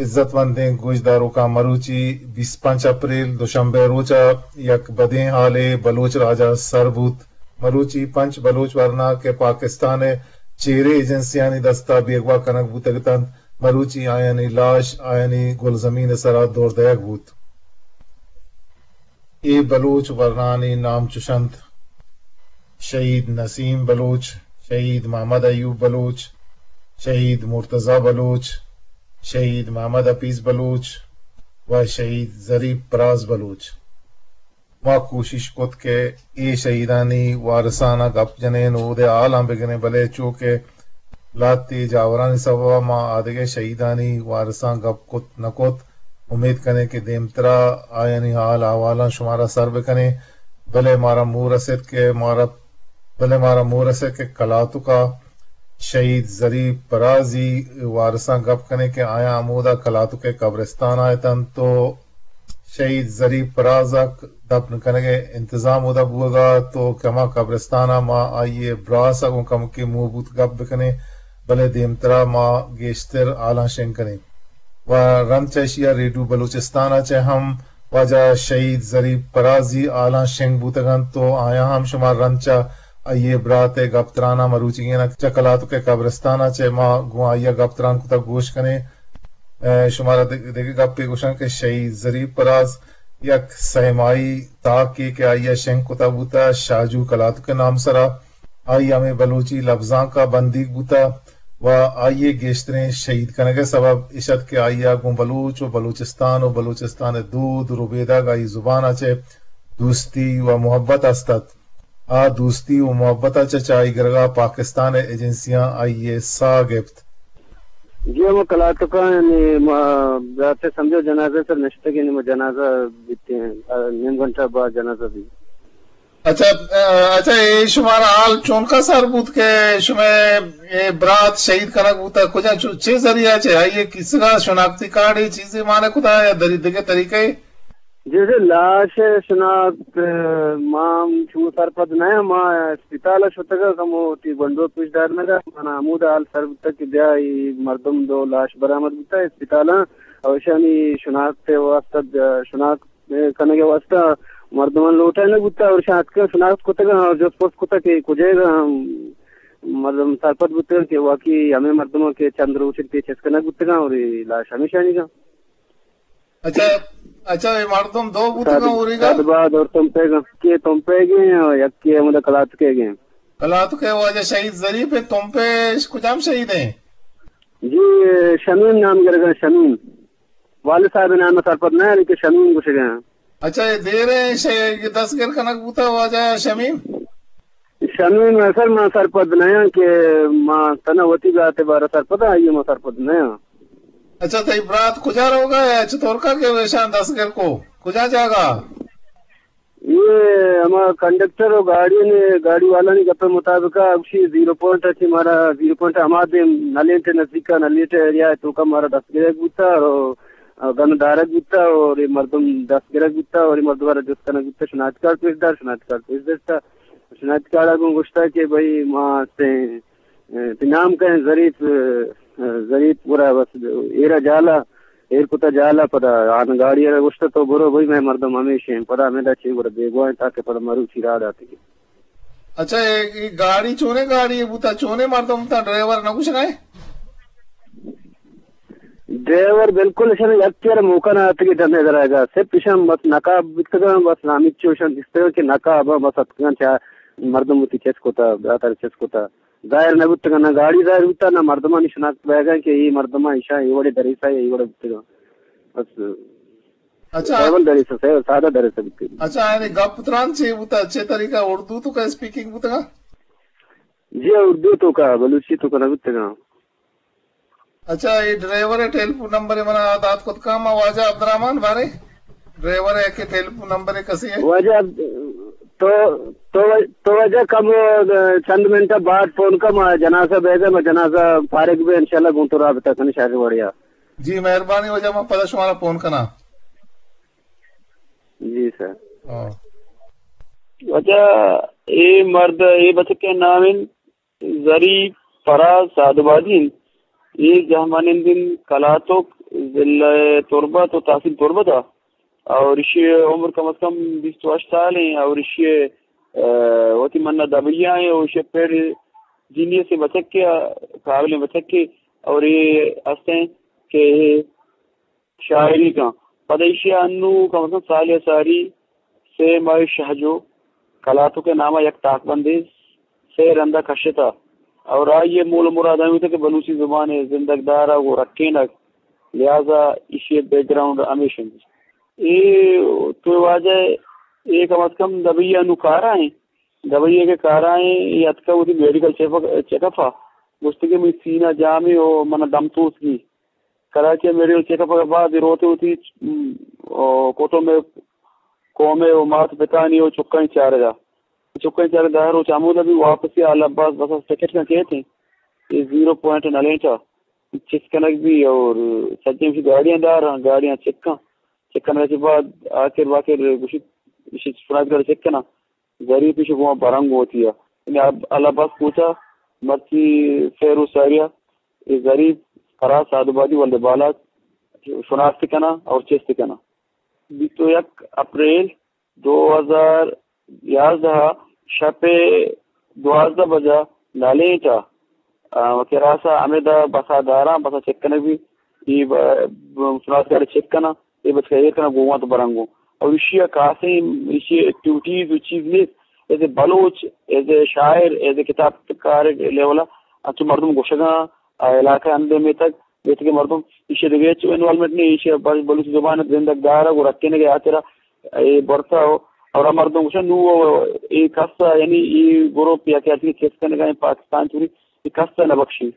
عزت مندیں گوشداروکاں، مروچی بیست پنچ اپریل دوشنبے روچ ءَ یک بدیں حالے بلوچ راج ءَ سر بوت۔ مروچی پنچ بلوچ ورنا کہ پاکستان ءِ چیریں ایجنسیانی دست ءَ بیگواہ کنگ بوتگ اتنت، مروچی آیانی لاش آیانی گلزمین ءِ سرا دور دئیگ بوت۔ اے بلوچ ورنانی نام چش انت: شہید نسیم بلوچ، شہید محمد ایوب بلوچ، شہید مرتضی بلوچ، شہید محمد حفیظ بلوچ و شہید ظریف پراز بلوچ۔ ما کوشش کت کہ اے شہیدانی وارثان ءَ گپ جنین و اودے حالاں بگریں، بلے چو کہ لہتے جاورانی سبب ءَ ما آدگہ شہیدانی وارثاں گپ کت نہ کت۔ امیت کنیں کہ دیمترا آیانی حال احوالاں شمارا سر بکنیں، بلے مارا مور رسیت کہ مارا، بلے مارا مور رسیت کہ کلاتک ءَ شہید ظریف پرازی وارثاں گپ کنیں کہ آیاں ہمودا کلاتک ءِ قبرستان ءَ اتنت تو شہید ظریف پراز ءَ دپن کنگ ءِ انتظام اودا بوگ ءَ ات و کہ ہما قبرستان ءَ ما آئی ءِ براس ءَ گوں کمکے موہ بوت گپ بکنیں، بلے دیمترا ما گیشتر حالاں شنگ کنیں۔ و رند چہ اشی ءَ ریڈیو بلوچستان ءَ چہ ہم واجہ شہید ظریف پرازی حالاں شنگ بوتگ انت و آیاں ہم شما رند چہ آئی ءِ برات ءِ گپ تراناں مروچیگین ءَ چہ کلاتک ءِ قبرستان ءَ چہ ما گوں آئی ءَ گپ تران کتگ گوش کنیں۔ ء، شمارا دگ-، دگہ گپے گوشاں کہ شہید ظریف پراز یک سہ ماہی تاکے کہ آئی ء شنگ کتگ بوتگ شاجو کلاتک ء نام سرا، آئی ہمے بلوچی لبزانک ء بندیگ بوتگ و آئی ء گیشتریں شہید کنگ ء سبب اش ات کہ آئی ء گوں بلوچ و بلوچستان و بلوچستان ء دود ربیدگ آئی زبان ء چہ دوستی و محبت است ات۔ آ دوستی و محبت ء چہ چاہی گرگ ء پاکستان ء ایجنسیاں آئی ء ساہ گپت۔ جی، ہما کلاتکاں، یعنی، ما برات ء سمجھو جنازہ سر نشتگ، یعنی، ما جنازہ بیتیں، آ، نیم گھنٹہ بعد جنازہ بیت۔ اچھا، آ، اچھا، اے شمارا حال چونکا سر بوت کہ شمئے اے برات شہید کنگ بوتا؟ کجا چو-، چے ذریعہ چے؟ آئی ء کیسگا شناختی کارڈے چیزے مانے کتا یا دری-، دگہ طریقے؟ جیسے لاش ء شناخت، ء، ما ہم چو سرپد نہ آں۔ ما اسپتال ء شتگ ء کمو وتی گونڈو پیش دارینگ ء، منا ہمود ء حال سر بوتگ کہ بیا اے مردم دو لاش برآمد بوتگ اسپتال ء، او ایشانی شناخت ء واستہ، شناخت کنگ ء واستہ مردمان لوٹائینگ بوتگ، اور ایشاں اتکگ شناخت کتگ اور جست پرس کتگ کہ کجائیگ ء مردم سرپد بوتگ کہ واقعی ہمے مردم کہ چند روچ پیش چست کنگ بوتگ اور اے لاش ہمیشانی گا۔ اچھا، اچھا، اے مردم دو بوتگاں اوریگا؟ سعد باد اور تمپیگ، یکے تمپیگ ہیں اور یکے ہمدا کلاتکے گے۔ کلاتکے واجہ شہید ظریف ہیں، تمپے کجام شہید ہیں؟ جی، شمیم نام گرگا، شمیم۔ والد صاحب نام سرپد نہ ہے، لیکن شمیم گوشگا۔ اچھا، اے دیر ہیں، شے-، اے دستگر کنگ بوتا واجہ شمیم؟ شمیم ء سر ما سرپد نہ آں کہ ما تنا وتی برات ء بارہ سرپد آں، آئی ء ما سرپد نہ آں۔ اچھا، تئی برات کجا روگا ہے؟ چطور کا کہ ویشان دستگر کو؟ کجا جاگا؟ یہ ہما کنڈکٹر و گاڑی نے، گاڑی والا نے گپ مطابق ء گوشی زیرو پوائنٹ اچھی مارا، زیرو پوائنٹ ہما دیم نلیٹ نزدیک نلیٹ ایریا ہے تو کا مارا دستگرک بوتا اور گن دارک بوتا اور یہ مردم دستگرک بوتا اور یہ مردم را جست کنک بوتا، شناخت کارڈ پیش دار، شناخت کارڈ پیش داشتا۔ شناخت کارڈ ء گوں گوشتگ کہ بھئی ما ہستیں، ء، تئی نام کئے؟ ظریف، ء، ظریف گڑا بس ایر ء جال ء، ایر کت ء جال ء پدا آن گاڑی ء گوشت تو برو بھئی مئے مردم ہمیش ایں۔ پدا ہمے دا چی گڑا بیگواہ ایں تاکہ پدا مروچی راہ داتگی۔ اچھا، اے، اے گاڑی چونیں گاڑی بوتا، چونیں مردم بوتا، ڈرائیور نہ گوشگا ئے؟ ڈرائیور بالکل اشاں یکے ء موقع نہ اتکگ ڈن ء درائگ ء۔ صرف اشاں بس نقاب بیتگاں، بس ہمینچو اشاں دیستگاں کہ نقاب ء بس اتکگاں، چہ مردم وتی چست کتا، براتر چست کتا۔ ظاہر نہ بوتگاں، نہ گاڑی ظاہر بوتا، نہ مردمانی شناخت بیگاں کہ اے مردماں اشاں اے وڑے دریسا یا اے وڑے بوتگاں۔ بس اچھا۔ ڈرائیور دریسا، سادہ دریسا بوتگ۔ اچھا، یعنی گپ تران چے بوتا؟ چے طریقہ، اردو تو کا اسپیکنگ بوتگا؟ جی، اردو تو کا، بلوچی تو کا نہ بوتگاں۔ اچھا، اے ڈرائیور ء ٹیلیفون نمبر ء منا دات کت کن، ما واجہ عبدالرحمن بارے ڈرائیور ء کہ ٹیلیفون نمبر ء کسے ہے؟ واجہ عبد-، تو، تو، تو واجہ کم، چند منٹ بعد فون کن، ما جنازہ بیگا، ما جنازہ فارغ بے، انشاءاللہ گوں تو رابطہ کن شہر وڑیا۔ جی، مہربانی واجہ، ما پدا شمارا فون کنا۔ جی سر۔ ہاں۔ واجہ، اے مرد، اے بچک ء نام انت ظریف فراز سعد آبادی انت۔ اے جہمانندین کلاتک، ضلع تربت و تحصیل تربت ء، اور ایشی عمر کم از کم بیست و ہشت سال ہیں، اور ایشی، اہ، وتی منا دبیا ہیں، اور ایشی پڑ جینیس بچکے، قابل بچکے، اور یہ ہستیں کہ شاعری کن۔ پدا ایشی انو کم از کم سال یا ساری سے ماہ شہجو کلاتک ء نام ء یک تاکبندے سے رندا کشتا، اور آئی ء مول ء مراد ہمے بوتگ کہ بلوچی زبان ء زندگ دارگ و رکینگ، لہذا ایشی ء بیک گراؤنڈ ہمیش انت۔ اے تو واجہ اے کم از کم دبئی ء نوں کارا ہیں، دبئی ء کہ کارا ہیں، اے اتکا وتی میڈیکل چیک اپ، چیک اپ ء گوشت کہ منی سینہ جامے و من دم توسگی۔ کراچی ء میڈیکل چیک اپ ء بعد اے روت وتی، م، او، کٹم ء قوم ء و مات پتانی و چکانی چارگا۔ چکانی چارگا دہ روچ ہمودا بھی واپسی آل عباس بس ء ٹکٹ کن کیت ہیں۔ اے زیرو پوائنٹ نلینٹ ء چست کنگ بھی اور سجیں گاڑیاں دار ہیں، گاڑیاں چک کن۔ چک کنگ کے بعد آخر باخر گوشت، ایشی شناخت کارڈ چک کنا۔ ظریف ایشی گوما برنگ ہوتی ہے۔ یعنی اب آل عباس کوچا مرچی فیرو ساریا، اے ظریف، فراز سعد آبادی ولد بالات شناخت کنا اور چست کنا۔ بیست و یک اپریل دو ہزار یازدہ ء شپ ء دوازدہ بجا نالینٹ ء، آ، کراس ء ہمدا بسا داراں، بسا چک کنگ بی، ای ب-، ب-، سنات گاڑی چک کناں، ای بچکا ایر کناں، گوواں تو برنگو۔ اور ایشی ء کاسیں ایشی ایکٹیویٹیز و چیز نیست، ایز اے بلوچ، ایز اے شاعر، ایز اے کتاب کار لیول ء انچو مردم گوشگاں، آ علاقہ اندے میتگ، میتگ مردم ایشی دگہ ہچ انوالومنٹ نہیں، ایشی بل-، بلوچی زبان زندگ دارگ و رکینگ ء ہاترا اے برتا ہو۔ اور آ مردم گوشن نو اے کسا، یعنی اے گروپ یا کہ چیز کنگا پاکستان چوری، اے کسا نہ بخشی۔